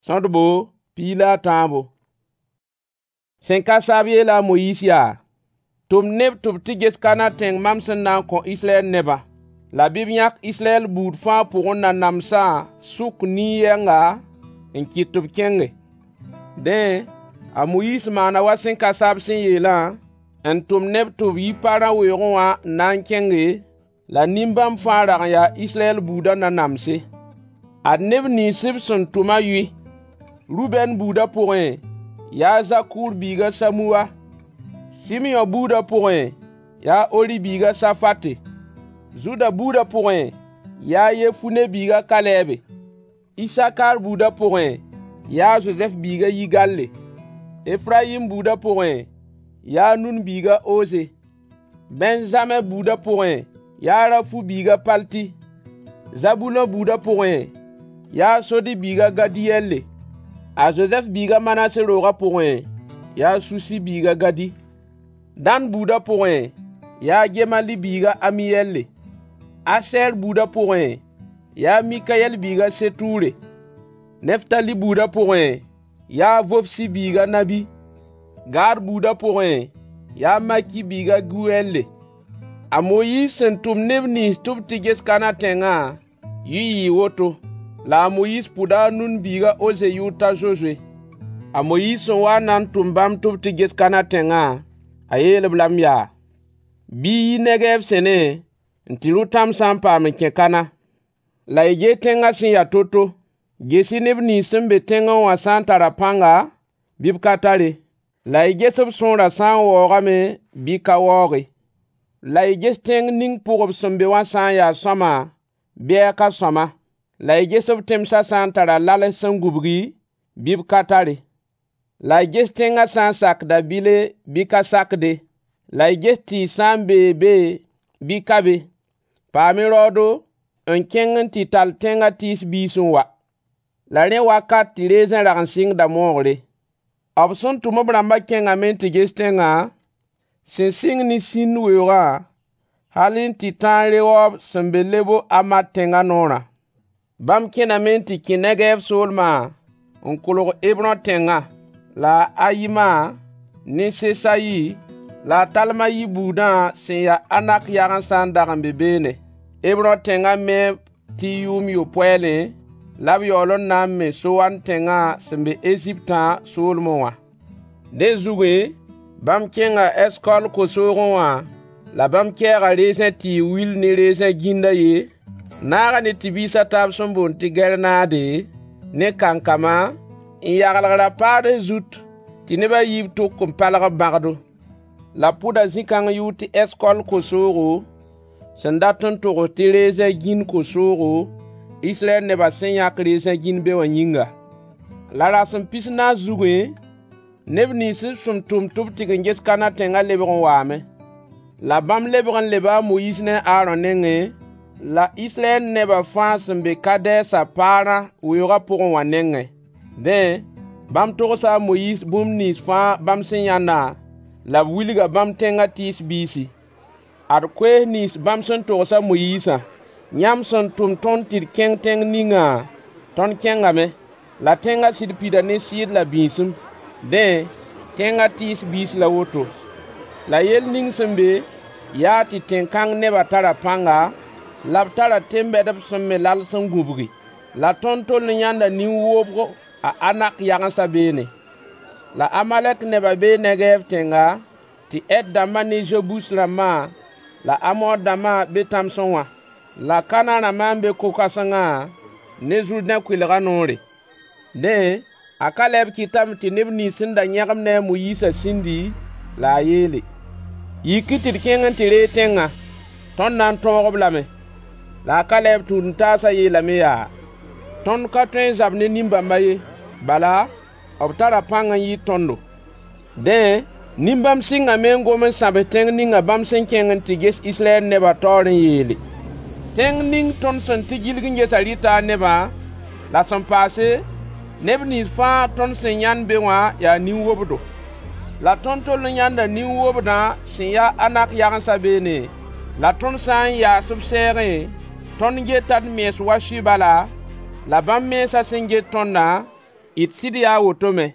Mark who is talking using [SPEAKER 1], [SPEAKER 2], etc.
[SPEAKER 1] Sõdbo 13. Sẽn ka saab yeela a Moyiis yaa: “Tʋm neb tɩ b tɩ ges Kana tẽng mam sẽn na n kõ Israyɛl nebã. La bɩ b yãk Israyɛl buud fãa pʋgẽ nanamsã sʋk nin-yɛnga n kɩt tɩ b kẽnge.” Dẽ, a Moyiis maana wa sẽn ka saab sẽn yeelã, n tʋm neb tɩ b yi Parã weoogẽ wã n na n kẽnge, la nin-bãmb fãa rag n yaa Israyɛl buudã nanamse. Ad neb nins b sẽn tʋmã yʋy: Rubɛn buudã pʋgẽ, yaa a Zakuur biig a Samuwa. Sɩmyõ buudã pʋgẽ, yaa a Ori biig a Safate. Zuda buudã pʋgẽ, yaa a Yefune biig a Kalɛɛbe. Isakar buudã pʋgẽ, yaa a Zozɛf biig a Yigalle. Efrayim buudã pʋgẽ, yaa a Nun biig a Oze. Bɛ̃zamɛ buudã pʋgẽ, yaa a Rafu biig a Palti. Zabulõ buudã pʋgẽ, yaa a Sodi biig a Gadiyɛlle. A Zozɛf biig a Manase roogã pʋgẽ, yaa a Susi biig a Gadi. Dan buudã pʋgẽ, yaa a Gemali biig a Amiyɛlle. Asɛɛr buudã pʋgẽ, yaa a Mikayɛl biig a Setuure. Neftali buudã pʋgẽ, yaa a Vofsi biig a Nabi. Gad buudã pʋgẽ, yaa a Maki biig a Guyɛlle. A Moyiis sẽn tʋm neb nins tɩ b tɩ ges Kana tẽngã, yʋy yɩɩ woto. La a Moyiis pʋda a Nun biig a Oze yʋʋr t'a Zozoe. A Moyiis sẽn waa n na n tʋm bãmb tɩ b tɩ ges Kana tẽngã, a yeel-b lame yaa: Bɩ y yi Negɛɛb sẽne n tɩ rʋ tãmsã n paam n kẽ Kana. La y ges tẽngã sẽn ya to-to. Ges-y neb nins sẽn be tẽngẽ wã sã n tara pãnga bɩ b ka tare. La y ges b sõorã sã n waoogame bɩ ka waooge. La y ges tẽng ning pʋg b sẽn be wã sã n ya sõama bɩ a ka sõama. La y ges b tẽmsã sã n tara lals sẽn gũbgi bɩ b ka tare. La y ges tẽngã sã n sakda bɩle bɩ ka sakde. La y ges tɩɩs sã n bee be bɩ ka be. Paam-y raoodo n kẽng n tɩ tall tẽngã tɩɩs biis n wa. La rẽ wakat tɩ reezẽ rag n sɩngda moogre. B sẽn tʋm b rãmbã kẽngame n tɩ ges tẽngã, sẽn sɩng ne Sĩn weoogã hal n tɩ ta Reob sẽn be Lebo-Amat tẽngã noorã. Bãmb kẽname n tɩ kẽ Negɛɛb soolmã n kolg Hebrõ tẽngã, la a Ayima ne Sesayi la a Talmayi buudã sẽn ya Anak yagensã n dag n be beene. Hebrõ tẽngã meeb tɩ yʋʋm yopoɛɛlẽ, la b yaool n na n me Soan tẽngã sẽn be Eziptã soolmẽ wã. Dẽ zugẽ, bãmb kẽnga Ɛskɔl ko-soogẽ wã la bãmb kɛɛga reezẽ tɩɩg wil ne reezẽ gĩnd a yen, naaga ne tɩ-biis a taab sẽn boond tɩ gɛrnaade, ne kankama, n yaglg ra-paads zut tɩ neb a yiib tʋk n palg b bãgdo. La b pʋda zĩ-kãng yʋʋr tɩ Ɛskɔl ko-soogo, sẽn dat n togs tɩ reezẽ gĩnd ko-soogo, Israyɛl nebã sẽn yãk reezẽ gĩnd be wã yĩnga. La rasem 14 zugẽ, neb nins b sẽn tʋm tɩ b tɩg n ges Kana tẽngã lebg n waame. La bãmb lebg n leba a Moyiis ne a Aarõ nengẽ, la Israyɛl nebã fãa sẽn be Kadɛɛsã Paarã weoogã pʋgẽ wã nengẽ. Dẽ, bãmb togsa a Moyiis bũmb nins fãa bãmb sẽn yãndã, la b wilga bãmb tẽngã tɩɩs biisi. Ad koees nins bãmb sẽn togs a Moyiisã: Yãmb sẽn tʋm tõnd tɩ d kẽng tẽng ningã, tõnd kẽngame. La tẽngã sɩd pida ne sɩɩd la bĩisem. Dẽ, tẽngã tɩɩs biis la woto. La yell ning sẽn be, yaa tɩ tẽn-kãng nebã tara pãnga, la b tara tẽn-bɛdb sẽn me lals n gũbgi. La tõnd tol n yãnda nin-wobgo a Anak yagensã beene. La Amalɛk nebã bee Negɛɛv tẽnga, tɩ Het dãmbã ne Zebus rãmbã la Amor dãmbã be tãmsẽ wã. La Kanã rãmbã n be ko-kãsengã ne Zʋrdẽ kʋɩlgã noore. Dẽ, a Kalɛb kɩtame tɩ neb nins sẽn da yãgem ne a Moyiisã sĩndi, la a yeele: Yik-y tɩ d kẽng n tɩ reeg tẽngã. Tõnd na n tõog-b lame. La a Kalɛb tũud-n-taasã yeelame yaa: Tõnd ka tõe n zab ne nin-bãmba ye. Bala, b tara pãng n yɩɩd tõndo. Dẽ, nin-bãmb sɩngame n gom n sãbs tẽng ninga bãmb sẽn kẽng n tɩ ges Israyɛl nebã taoor n yeele: Tẽng ning tõnd sẽn tɩ gilg n gesã rɩta a nebã, la sẽn paase, neb nins fãa tõnd sẽn yãnd be wã yaa nin-wobdo. La tõnd tol n yãnda nin-wobdã sẽn ya a Anak yagensã beene, la tõnd sã n yaas b sɛɛgẽ, tõnd geta d mens wa sʋɩ bala, la bãmb mensã sẽn get tõndã, D sɩd yaa a woto me.